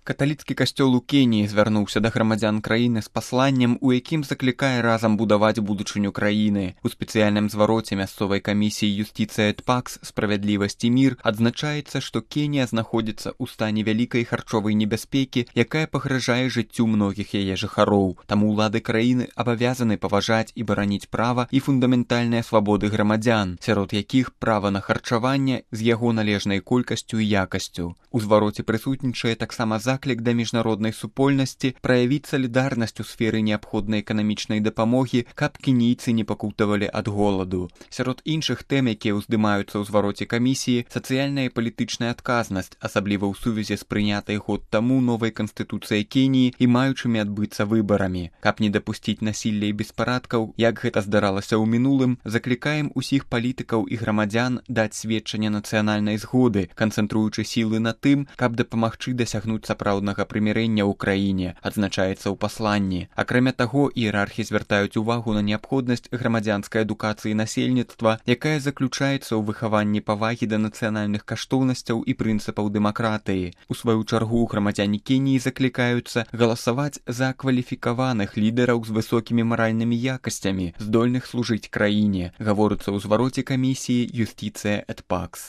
Каталіцкі касцёл у Кеніі звярнуўся да грамадзян краіны з пасланнем, у якім заклікае разам будаваць будучыню краіны. У спецыяльным звароце мясцовай камісіі юстыцыя энд пакс «Справядлівасць і мір» адзначаецца, што Кенія знаходзіцца ў стане вялікай харчовай небяспекі, якая пагражае жыццю многіх яе жыхароў. Таму ўлады краіны абавязаны паважаць і бараніць права і фундаментальныя свабоды грамадзян, сярод якіх права на харчаванне з яго належнай колькасцю і якасцю. У звароце прысутнічае таксама заклік да міжнароднай супольнасці праявіць салідарнасць у сферы неабходнай эканамічнай дапамогі, каб кенійцы не пакутавалі ад голаду. Сярод іншых тэм, якія ўздымаюцца ў звароце камісіі, сацыяльная і палітычная адказнасць, асабліва ў сувязі з прынятай год таму новай канстытуцыяй Кеніі і маючымі адбыцца выбарамі. Каб не дапусціць насілля і беспарадкаў, як гэта здаралася ў мінулым, заклікаем усіх палітыкаў і грамадзян даць сведчанне нацыянальнай згоды, канцэнтруючы сілы на тым, каб дапамагчы дасягнуць сапраўднага прымірэння ў краіне, адзначаецца ў пасланні. Акрамя таго, іерархі звяртаюць увагу на неабходнасць грамадзянскай адукацыі насельніцтва, якая заключаецца ў выхаванні павагі да нацыянальных каштоўнасцяў і прынцыпаў дэмакратыі. У сваю чаргу грамадзяне Кеніі заклікаюцца галасаваць за кваліфікаваных лідараў з высокімі маральнымі якасцямі, здольных служыць краіне, гаворыцца ў звароце камісіі юстыцыя энд пакс.